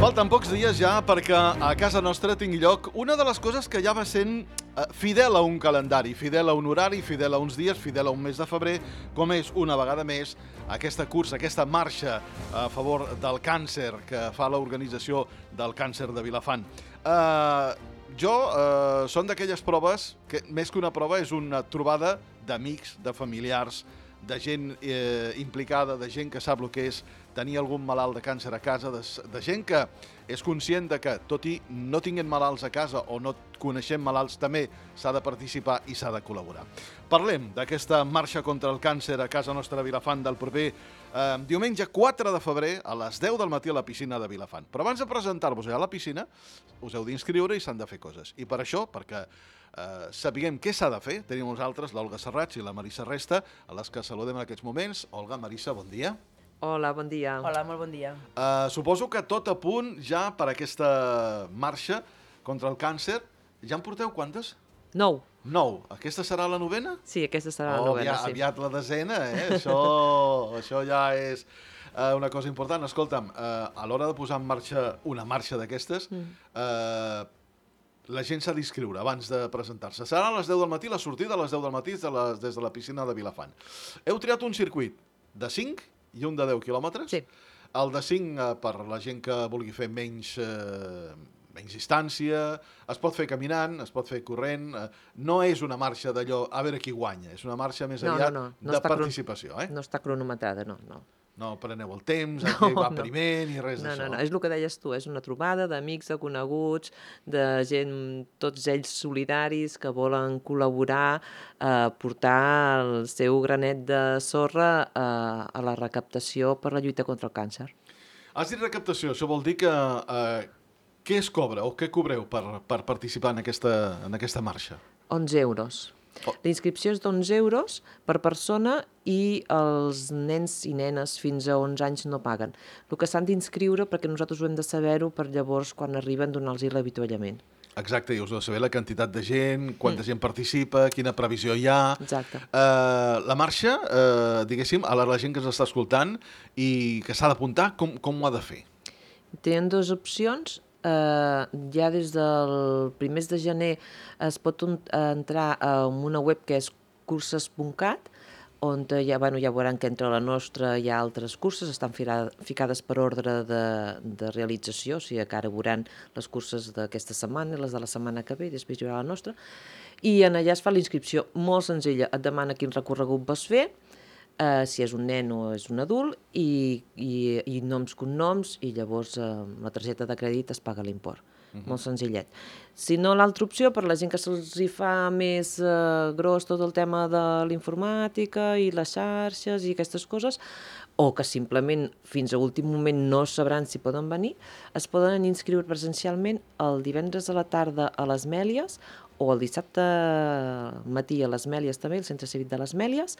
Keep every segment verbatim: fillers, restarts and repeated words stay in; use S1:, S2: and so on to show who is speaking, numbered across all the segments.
S1: Falten pocs dies ja perquè a casa nostra tingui lloc una de les coses que ja va sent eh, fidel a un calendari, fidel a un horari, fidel a uns dies, fidel a un mes de febrer, com és una vegada més aquesta cursa, aquesta marxa a favor del càncer que fa l'Organització del Càncer de Vilafant. Eh, jo eh, són d'aquelles proves que, més que una prova, és una trobada d'amics, de familiars, de gent eh, implicada, de gent que sap el que és tenir algun malalt de càncer a casa, de, de gent que és conscient de que, tot i no tinguin malalts a casa o no coneixem malalts, també s'ha de participar i s'ha de col·laborar. Parlem d'aquesta marxa contra el càncer a casa nostra a Vilafant del proper eh, diumenge quatre de febrer a les deu del matí a la piscina de Vilafant. Però abans de presentar-vos a la piscina, us heu d'inscriure i s'han de fer coses. I per això, perquè Uh, sapiguem què s'ha de fer, tenim uns altres, l'Olga Serrats i la Marissa Resta, a les que saludem en aquests moments. Olga, Marissa, bon dia.
S2: Hola, bon dia.
S3: Hola, molt bon dia.
S1: Uh, suposo que tot a punt ja per aquesta marxa contra el càncer. Ja en porteu quantes?
S2: Nou.
S1: Nou. Aquesta serà la novena?
S2: Sí, aquesta serà
S1: oh,
S2: la novena,
S1: aviat,
S2: sí.
S1: Aviat la desena, eh? Això, això ja és uh, una cosa important. Escolta'm, uh, a l'hora de posar en marxa una marxa d'aquestes, mm. uh, la gent s'ha d'inscriure abans de presentar-se. Serà a les deu del matí, la sortida a les deu del matí de les, des de la piscina de Vilafant. Heu triat un circuit de cinc i un de deu quilòmetres.
S2: Sí.
S1: El de cinc, eh, per la gent que vulgui fer menys, eh, menys distància, es pot fer caminant, es pot fer corrent. Eh, no és una marxa d'allò a veure qui guanya, és una marxa més
S2: No,
S1: aviat
S2: no, no. No
S1: de
S2: està cron-
S1: participació. Eh?
S2: No està cronometrada, no, no.
S1: No preneu el temps,
S2: No,
S1: aquí va
S2: no.
S1: primer, ni res
S2: No,
S1: d'això.
S2: no, no, és el que deies tu, és una trobada d'amics, de coneguts, de gent, tots ells solidaris, que volen col·laborar, eh, portar el seu granet de sorra eh, a la recaptació per la lluita contra el càncer.
S1: Has dit recaptació, això vol dir que eh, què es cobra o què cobreu per, per participar en aquesta, en aquesta marxa?
S2: onze euros.
S1: Oh.
S2: La inscripció és d'onze euros per persona i els nens i nenes fins a onze anys no paguen. El que s'han d'inscriure, perquè nosaltres ho hem de saber-ho, per llavors, quan arriben, donar-los l'avituallament.
S1: Exacte, i us heu de saber la quantitat de gent, quanta mm. gent participa, quina previsió hi ha.
S2: Exacte.
S1: Uh, la marxa, uh, diguéssim, a la, la gent que ens està escoltant i que s'ha d'apuntar, com, com ho ha de fer?
S2: Tenen dues opcions. Uh, ja des del primers de gener es pot un, uh, entrar en una web que és curses punt cat, on ja, bueno, ja veuran que entre la nostra hi ha altres curses, estan fira, ficades per ordre de, de realització, o sigui que ara veuran les curses d'aquesta setmana i les de la setmana que ve, i després hi haurà la nostra, i en allà es fa la inscripció molt senzilla, et demana quin recorregut vas fer, Uh, si és un nen o és un adult, i, i, i noms, cognoms, i llavors uh, la targeta de crèdit es paga l'import. Uh-huh. Molt senzillet. Si no, l'altra opció, per la gent que se'ls hi fa més uh, gros tot el tema de l'informàtica i les xarxes i aquestes coses, o que simplement fins a últim moment no sabran si poden venir, es poden inscriure presencialment el divendres a la tarda a les Mèlies, o el dissabte matí a les Mèlies també, el Centre Cívic de les Mèlies,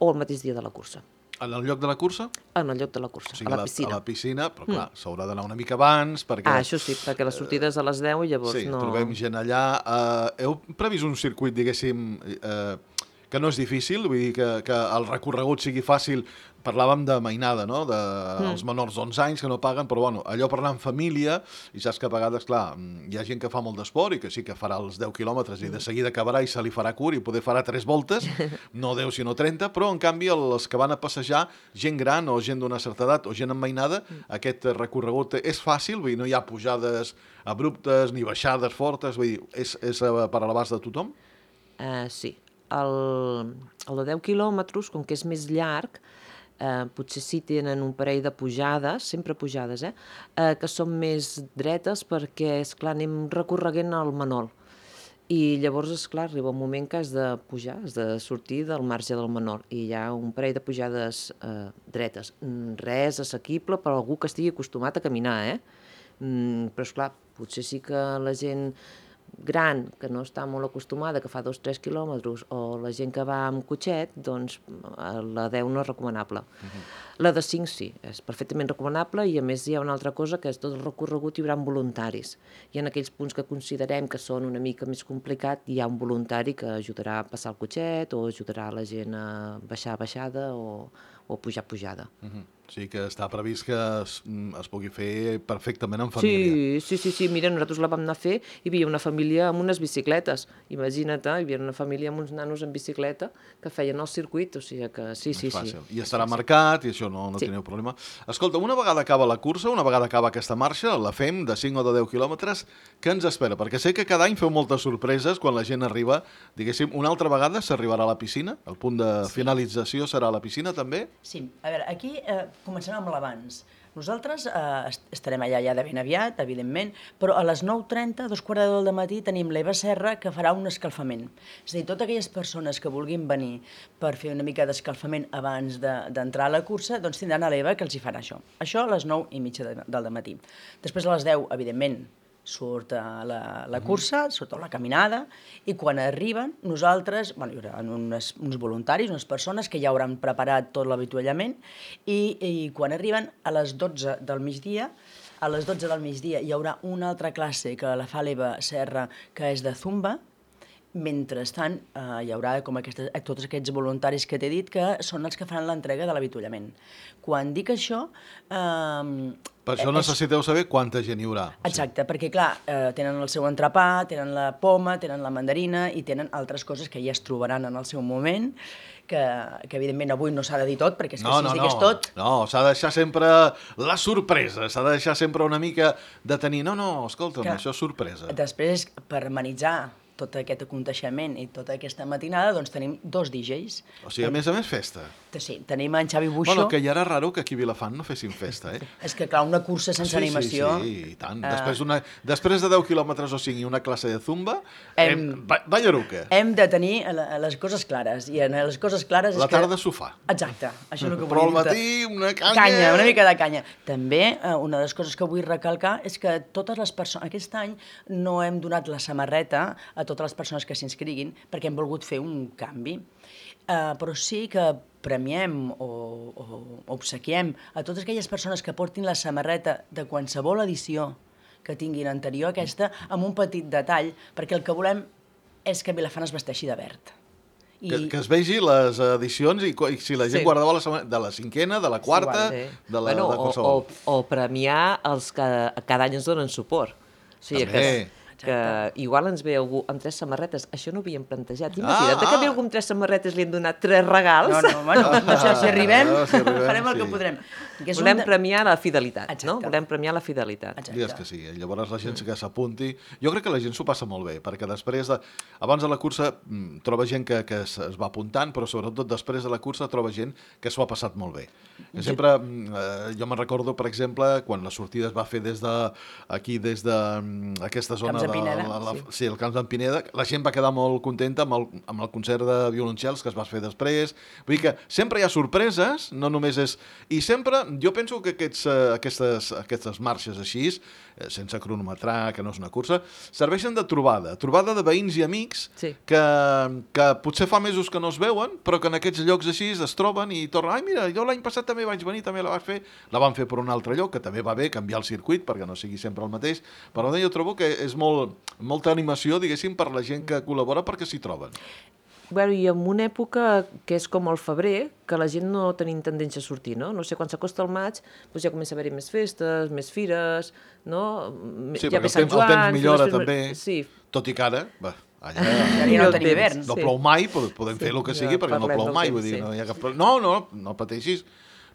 S2: o el mateix dia de la cursa.
S1: En el lloc de la cursa?
S2: En el lloc de la cursa,
S1: O sigui,
S2: a la piscina.
S1: A la piscina, però clar, mm. s'haurà d'anar una mica abans, perquè...
S2: Ah, això sí, perquè la sortida és a les deu i llavors
S1: sí,
S2: no...
S1: Sí, trobem gent allà. Uh, heu previst un circuit, diguéssim, uh, que no és difícil, vull dir que, que el recorregut sigui fàcil. Parlàvem de mainada, no?, de mm. els menors d'onze anys que no paguen, però bueno, allò per anar en família, i saps que a vegades, clar, hi ha gent que fa molt d'esport i que sí que farà els deu quilòmetres i de seguida acabarà i se li farà curt i poder farà tres voltes, no deu sinó trenta, però en canvi els que van a passejar, gent gran o gent d'una certa edat o gent en mainada, mm. aquest recorregut és fàcil, vull dir, no hi ha pujades abruptes ni baixades fortes, vull dir, és, és per a l'abast de tothom?
S2: Uh, sí. El, el de deu quilòmetres, com que és més llarg, Eh, potser sí tenen un parell de pujades, sempre pujades, eh? Eh, que són més dretes perquè, esclar, anem recorreguent el Manol. I llavors, esclar, arriba un moment que has de pujar, has de sortir del marge del Manol. I hi ha un parell de pujades eh, dretes. Res assequible per a algú que estigui acostumat a caminar, eh? Mm, però, esclar, potser sí que la gent gran, que no està molt acostumada, que fa dos o tres quilòmetres, o la gent que va amb cotxet, doncs la deu no és recomanable. Uh-huh. La de cinc sí, és perfectament recomanable, i a més hi ha una altra cosa, que és tot el recorregut hi haurà voluntaris. I en aquells punts que considerem que són una mica més complicat, hi ha un voluntari que ajudarà a passar el cotxet, o ajudarà la gent a baixar baixada, o, o pujar pujada.
S1: Uh-huh. sigui que està previst que es, es pugui fer perfectament en família.
S2: Sí, sí, sí, sí, mira, nosaltres la vam anar a fer i hi havia una família amb unes bicicletes, imagina't, hi havia una família amb uns nanos en bicicleta que feien el circuit, o sigui que sí, sí, sí.
S1: I estarà marcat i això no, no
S2: Sí.
S1: teniu problema. Escolta, una vegada acaba la cursa, una vegada acaba aquesta marxa, la fem de cinc o de deu quilòmetres, què ens espera? Perquè sé que cada any feu moltes sorpreses quan la gent arriba, diguéssim, una altra vegada s'arribarà a la piscina, el punt de finalització serà a la piscina també?
S3: Sí, a veure, aquí eh, comencem amb l'abans. Nosaltres eh, est- estarem allà ja de ben aviat, evidentment, però a les nou trenta, dos quarts de deu del matí, tenim l'Eva Serra que farà un escalfament. És a dir, totes aquelles persones que vulguin venir per fer una mica d'escalfament abans de- d'entrar a la cursa, doncs tindran a l'Eva que els hi farà això. Això a les nou i mitja de, del matí. Després a les deu, evidentment, surt a la, la cursa, surt a la caminada, i quan arriben, nosaltres, bueno, hi haurà unes, uns voluntaris, unes persones que ja hauran preparat tot l'avituallament, i, i quan arriben a les dotze del migdia, a les dotze del migdia hi haurà una altra classe que la fa l'Eva Serra, que és de Zumba. Mentrestant, eh, hi haurà com aquestes, tots aquests voluntaris que t'he dit que són els que faran l'entrega de l'avituallament. Quan dic això... Eh,
S1: Per això
S3: és-
S1: necessiteu saber quanta gent hi haurà.
S3: Exacte, perquè clar, eh, tenen el seu entrepà, tenen la poma, tenen la mandarina i tenen altres coses que ja es trobaran en el seu moment, que, que evidentment avui no s'ha de dir tot, perquè és que
S1: No,
S3: si
S1: no,
S3: es digués
S1: no,
S3: tot...
S1: no, s'ha de deixar sempre la sorpresa, s'ha de deixar sempre una mica de tenir, no, no, escolta'm,
S3: Clar.
S1: això és sorpresa.
S3: Després, per amenitzar tot aquest aconteixement i tota aquesta matinada, doncs tenim dos D Js.
S1: O sigui, a més a més, festa.
S3: Sí, tenim en Xavi Buixó.
S1: Bueno, que ja era raro que aquí a Vilafant no fessin festa, eh?
S3: És que, clar, una cursa sense
S1: sí,
S3: animació...
S1: Sí, sí, i tant.
S3: eh,
S1: Després, una, després de deu quilòmetres o cinc i una classe de zumba,
S3: Hem-
S1: hem... ba ballaruca.
S3: Hem de tenir la- les coses clares, i en les coses clares
S1: La
S3: és que...
S1: tarda sofà.
S3: Exacte, això és el que
S1: Però al
S3: volia dir-te.
S1: matí una canya...
S3: Canya, una mica de canya. També, eh, una de les coses que vull recalcar és que totes les persones... Aquest any no hem donat la samarreta a totes les persones que s'inscriguin perquè hem volgut fer un canvi. Uh, però sí que premiem o, o obsequiem a totes aquelles persones que portin la samarreta de qualsevol edició que tinguin anterior a aquesta amb un petit detall, perquè el que volem és que Vilafant es vesteixi de verd.
S1: Que, que es vegi les edicions i, co- i si la gent
S2: Sí.
S1: guardava la setmana, de la cinquena, de la quarta,
S2: Sí.
S1: de la
S2: bueno,
S1: de
S2: o,
S1: qualsevol.
S2: o, o premiar els que cada any ens donen suport. O sigui,
S1: També.
S2: que, que igual ens ve algú amb tres samarretes. Això no ho havíem plantejat. Imagina't
S1: Ah,
S2: que ve
S1: ah.
S2: algú amb tres samarretes li hem donat tres regals.
S3: No, no, bueno, no sé, si arribem,
S1: Ah, si arribem,
S3: farem el
S1: sí.
S3: que podrem. Que és
S2: Volem
S3: un de-
S2: premiar la fidelitat,
S3: Exacte.
S2: no? Volem premiar la fidelitat.
S3: Exacte.
S1: Digues que sí, eh? Llavors la gent que s'apunti... Jo crec que la gent s'ho passa molt bé, perquè després, de, abans de la cursa, mm, troba gent que, que es, es va apuntant, però sobretot després de la cursa troba gent que s'ho ha passat molt bé. Que sempre, mm, eh, jo me'n recordo, per exemple, quan la sortida es va fer des de, aquí, des de mm, aquesta zona...
S3: Camps de
S1: de
S3: Pineda,
S1: la, la,
S3: sí.
S1: sí, el Camps d'en Pineda, la gent va quedar molt contenta amb el, amb el concert de violoncels que es va fer després. Vull dir que sempre hi ha sorpreses, no només és... I sempre, jo penso que aquests, eh, aquestes, aquestes marxes així, eh, sense cronometrar, que no és una cursa, serveixen de trobada, trobada de veïns i amics
S2: Sí.
S1: que, que potser fa mesos que no es veuen, però que en aquests llocs així es troben i tornen, ai mira, jo l'any passat també vaig venir, també la vaig fer, la van fer per un altre lloc, que també va bé canviar el circuit perquè no sigui sempre el mateix, però jo trobo que és molt, molta animació, diguéssim, per la gent que col·labora perquè s'hi troben.
S2: Bueno, i en una època que és com el febrer, que la gent no tenim tendència a sortir, no? No sé, quan s'acosta el maig, doncs ja comença a haver-hi més festes, més fires, no?
S1: Sí,
S2: ja
S1: perquè
S2: ve
S1: el
S2: Sant
S1: temps, el temps
S2: Joan,
S1: millora
S2: les festes-
S1: també,
S2: Sí,
S1: tot i que ara, va, allà...
S3: Ja no
S2: Millor
S3: tenim
S2: temps.
S3: hivern.
S1: No
S2: Sí.
S1: plou mai, podem, podem
S2: Sí,
S1: fer el que
S2: ja
S1: sigui perquè no
S2: parlem
S1: plou
S2: del
S1: mai,
S2: temps,
S1: vull dir,
S2: sí.
S1: no hi ha cap problema. No, no, no pateixis,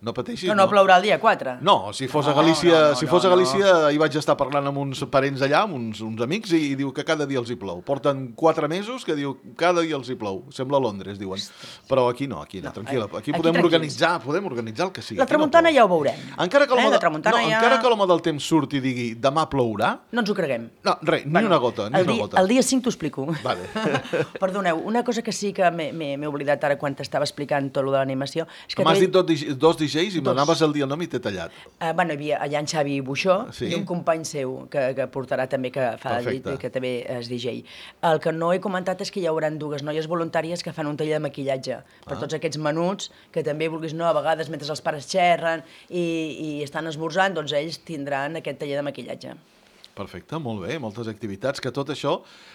S1: no pateixis.
S3: No, no plourà el dia quatre.
S1: No, si fos a
S3: No,
S1: Galícia,
S3: no, no,
S1: si fos a
S3: no,
S1: Galícia, hi vaig estar parlant amb uns parents allà, amb uns, uns amics, i, i diu que cada dia els hi plou. Porten quatre mesos que diu cada dia els hi plou. Sembla Londres, diuen. Però aquí no, aquí no, tranquil·la. Aquí,
S3: aquí
S1: podem
S3: tranquils.
S1: organitzar, podem organitzar el que sigui.
S3: La
S1: Aquí no
S3: tramuntana
S1: plou.
S3: ja ho veurem.
S1: Encara que
S3: Eh,
S1: l'home
S3: la
S1: de,
S3: tramuntana
S1: no,
S3: ja-
S1: encara que l'home del temps surt i digui demà plourà,
S3: No ens ho creguem.
S1: no, res, ni
S3: Bueno,
S1: una gota, ni
S3: el
S1: una
S3: dia,
S1: gota.
S3: El dia cinc t'ho explico.
S1: Vale.
S3: Perdoneu, una cosa que sí que m'he m'he- m'he oblidat ara quan t'estava explicant tot lo de l'animació és que...
S1: M'has
S3: aquell-
S1: dit dos, dig- dos D Js i
S3: Dos.
S1: m'anaves el dia el nom i t'he tallat.
S3: Uh, bueno, hi havia allà en Xavi Buixó
S1: Sí.
S3: i un company seu que, que portarà també, que fa de
S1: Perfecte.
S3: llit, que també és D J. El que no he comentat és que hi haurà dues noies voluntàries que fan un taller de maquillatge per
S1: Ah.
S3: tots aquests menuts que també, vulguis no, a vegades mentre els pares xerren i, i estan esmorzant, doncs ells tindran aquest taller de maquillatge.
S1: Perfecte, molt bé, moltes activitats, que tot això,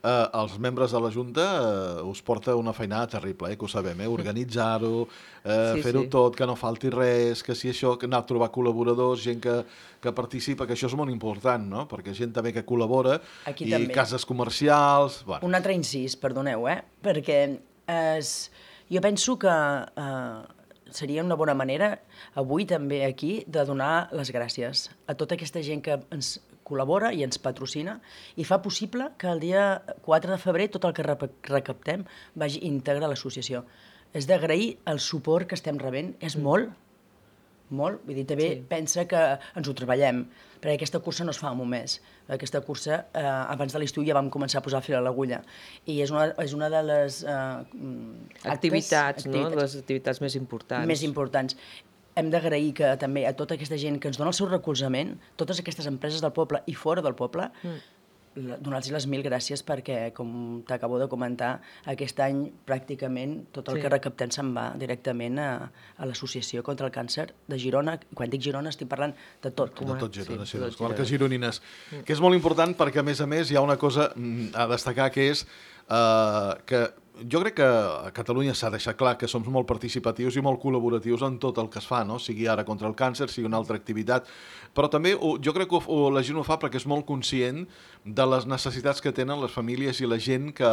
S1: eh, els membres de la Junta eh, us porta una feinada terrible, eh, que ho sabem, eh, organitzar-ho, eh,
S2: Sí,
S1: fer-ho
S2: sí.
S1: tot, que no falti res, que si això, que anar a trobar col·laboradors, gent que, que participa, que això és molt important, no? Perquè gent també que col·labora,
S3: Aquí
S1: i
S3: també.
S1: cases comercials... Bueno,
S3: Un altre incís, perdoneu, eh? Perquè es, jo penso que eh, seria una bona manera, avui també aquí, de donar les gràcies a tota aquesta gent que ens col·labora i ens patrocina i fa possible que el dia quatre de febrer tot el que rep- recaptem vagi íntegre a l'associació. És d'agrair el suport que estem rebent, és molt, molt, vull dir, també
S2: Sí.
S3: pensa que ens ho treballem, perquè aquesta cursa no es fa en un mes. Aquesta cursa, eh, abans de l'estiu ja vam començar a posar fil a l'agulla, i és una, és una de les eh, mm, actes,
S2: Activitats, no? Les activitats més importants.
S3: més importants. Hem d'agrair que també a tota aquesta gent que ens dona el seu recolzament, totes aquestes empreses del poble i fora del poble, mm. donar-los les mil gràcies perquè, com t'acabo de comentar, aquest any pràcticament tot el
S2: Sí.
S3: que recaptem se'n va directament a, a l'Associació contra el Càncer de Girona. Quan dic Girona estic parlant de tot.
S1: de tot Girona, sí,
S2: sí,
S1: de
S2: tot
S1: les comarques
S2: Girona.
S1: gironines, que és molt important perquè, a més a més, hi ha una cosa mm, a destacar, que és eh, que jo crec que a Catalunya s'ha deixat clar que som molt participatius i molt col·laboratius en tot el que es fa, no? Sigui ara contra el càncer, sigui una altra activitat, però també ho, jo crec que ho, la gent ho fa perquè és molt conscient de les necessitats que tenen les famílies i la gent que,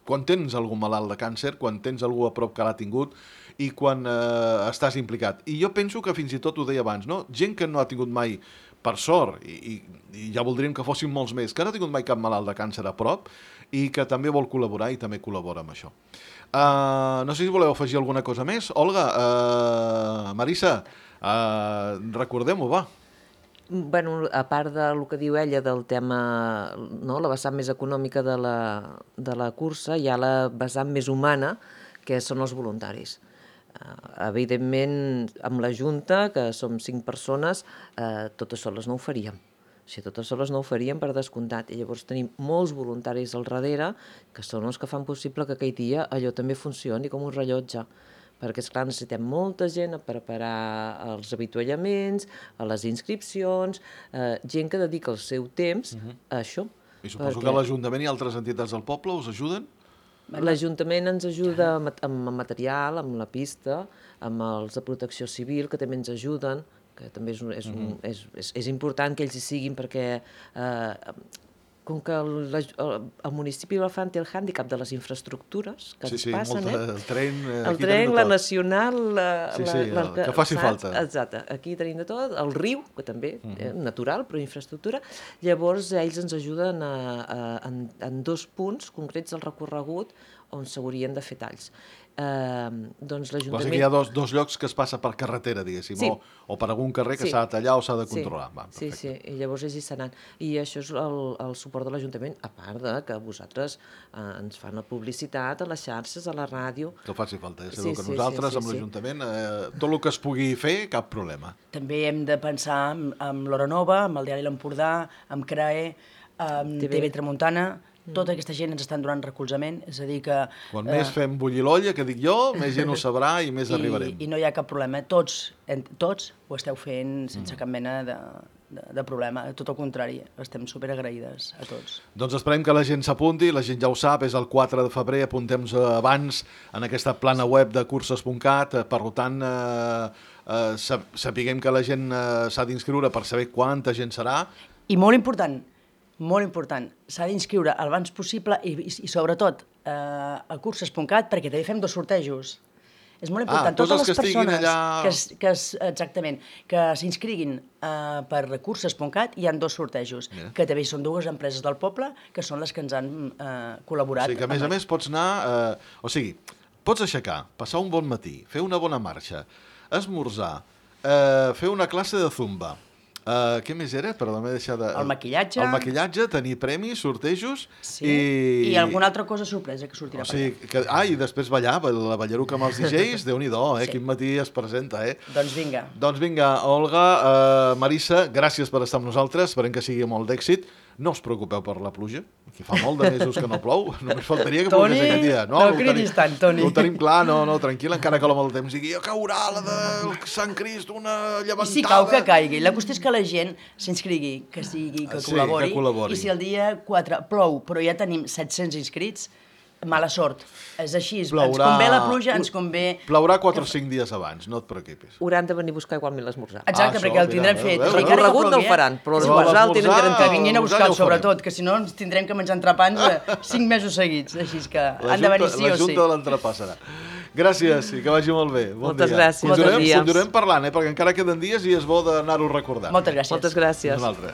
S1: quan tens algú malalt de càncer, quan tens algú a prop que l'ha tingut i quan eh, estàs implicat. I jo penso que fins i tot ho deia abans, no? Gent que no ha tingut mai, per sort, i, i, i ja voldríem que fossin molts més, que no ha tingut mai cap malalt de càncer a prop i que també vol col·laborar i també col·labora amb això. Uh, no sé si voleu afegir alguna cosa més. Olga, uh, Marissa, uh, recordem-ho, va.
S2: Bueno, a part del que diu ella del tema, no, la vessant més econòmica de la, de la cursa, hi ha la vessant més humana, que són els voluntaris. Uh, evidentment, amb la Junta, que som cinc persones, uh, totes soles no ho faríem. O sigui, totes soles no ho faríem per descomptat. I llavors tenim molts voluntaris al darrere que són els que fan possible que aquell dia allò també funcioni com un rellotge. Perquè, esclar, necessitem molta gent a preparar els avituallaments, a les inscripcions, eh, gent que dedica el seu temps a això.
S1: I suposo
S2: perquè
S1: que l'Ajuntament i altres entitats del poble us ajuden?
S2: l'Ajuntament ens ajuda amb, amb material, amb la pista, amb els de protecció civil, que també ens ajuden, que també és, un- és, un- és, és, és important que ells hi siguin perquè eh, com que el, la, el, el municipi de l'Alfant té el hàndicap de les infraestructures que
S1: Sí,
S2: ens
S1: sí,
S2: passen,
S1: molta,
S2: eh?
S1: el tren... eh,
S2: El
S1: aquí
S2: tren,
S1: tenim de
S2: la
S1: tot.
S2: nacional... La,
S1: Sí,
S2: la,
S1: sí,
S2: la,
S1: el que faci
S2: saps?
S1: falta.
S2: Exacte, aquí tenim de tot, el riu, que també, uh -huh. eh, natural, però infraestructura. Llavors, ells ens ajuden a, a, en, en dos punts concrets del recorregut on s'haurien de fer talls. Eh, doncs
S1: Vols dir
S2: l'Ajuntament...
S1: que hi ha dos, dos llocs que es passa per carretera, diguéssim,
S2: Sí.
S1: o, o per algun carrer que
S2: Sí.
S1: s'ha de tallar o s'ha de
S2: Sí.
S1: controlar. Va,
S2: Sí,
S1: perfecte.
S2: sí, i llavors ells hi seran. I això és el, el suport de l'Ajuntament, a part de que vosaltres eh, ens fan la publicitat a les xarxes, a la ràdio.
S1: Que faci falta, ja
S2: Sí,
S1: sabeu que
S2: sí,
S1: nosaltres,
S2: sí, sí,
S1: amb
S2: sí.
S1: l'Ajuntament, eh, tot el que es pugui fer, cap problema.
S3: També hem de pensar amb, amb l'Hora Nova, amb el Diari L'Empordà, amb CRAE, amb
S2: T V.
S3: T V Tramuntana. Tota aquesta gent ens estan donant recolzament, és a dir que...
S1: Quan més fem bullir l'olla, que dic jo, més gent ho sabrà i més
S3: i,
S1: arribarem.
S3: I no hi ha cap problema. Tots, en, tots ho esteu fent sense cap mena de, de, de problema. Tot el contrari, estem superagraïdes a tots.
S1: Doncs esperem que la gent s'apunti, la gent ja ho sap, és el quatre de febrer, apuntem-nos abans en aquesta plana web de curses punt cat, eh, per tant, eh, eh, sap- sapiguem que la gent eh, s'ha d'inscriure per saber quanta gent serà.
S3: I molt important, molt important, s'ha d'inscriure el abans possible i, i, i sobretot eh, a curses punt cat perquè també fem dos sortejos. És molt important.
S1: Ah, tots els
S3: Totes les
S1: que estiguin
S3: persones
S1: allà-
S3: que, es, que es, exactament, que s'inscriguin eh, per curses punt cat hi ha dos sortejos,
S1: Mira.
S3: que també són dues empreses del poble que són les que ens han eh,
S1: O
S3: col·laborat.
S1: sigui que, a més a
S3: amb-
S1: més, pots anar... Eh, o sigui, pots aixecar, passar un bon matí, fer una bona marxa, esmorzar, eh, fer una classe de zumba. Uh, què més era? Perdó, m'he deixat de...
S3: El maquillatge.
S1: El maquillatge, tenir premis, sortejos...
S3: Sí.
S1: I...
S3: I alguna altra cosa sorpresa que sortirà
S1: O sigui, que... Ah, i després ballar, la ballaruca amb els D Js, Déu-n'hi-do, eh?
S3: Sí.
S1: Quin matí es presenta, eh?
S3: per allà. Doncs vinga.
S1: Doncs vinga, Olga, uh, Marissa, gràcies per estar amb nosaltres, esperem que sigui molt d'èxit. No us preocupeu per la pluja, que fa molt de mesos que no plou, només faltaria que
S3: Toni,
S1: plogués aquest dia.
S3: no cridis tant, Toni.
S1: Ho tenim clar, no, no, tranquil, encara que l'home del temps digui caurà la del Sant Crist, una llevantada...
S3: I si cau, que caigui. La qüestió és que la gent s'inscrigui, que sigui, que
S1: Sí,
S3: col·labori.
S1: que col·labori.
S3: I si el dia quatre plou, però ja tenim set-cents inscrits, mala sort. És així,
S1: Plourà...
S3: ens convé la pluja, ens convé...
S1: Plourà quatre o cinc dies abans, no et preocupis.
S2: Hauran de venir a buscar igualment l'esmorzar.
S3: Exacte,
S1: Ah,
S3: perquè
S1: això,
S3: el tindrem
S1: mira,
S3: fet.
S1: veus,
S3: I
S1: veus?
S3: encara que
S2: Recorregut no el
S3: plogui,
S2: faran, però
S1: Però
S2: l'esmorzar el tenen
S1: l'esmorzar-
S2: garantit.
S3: que vinguin a
S1: L'esmorzar
S3: buscar
S1: ja ho
S3: sobretot, que si no ens tindrem que menjar entrepans eh, cinc mesos seguits. Així és que
S1: La
S3: han de venir
S1: Junta-
S3: sí o
S1: La
S3: sí.
S1: Junta de l'entrepà serà. Gràcies i que vagi molt bé. Bon
S2: Moltes
S1: dia.
S2: gràcies,
S1: Continuarem,
S2: bon dia.
S1: continuarem parlant, eh, perquè encara queden dies i és bo d'anar-ho recordant.
S3: Moltes gràcies.
S2: Moltes gràcies.
S1: Un altre.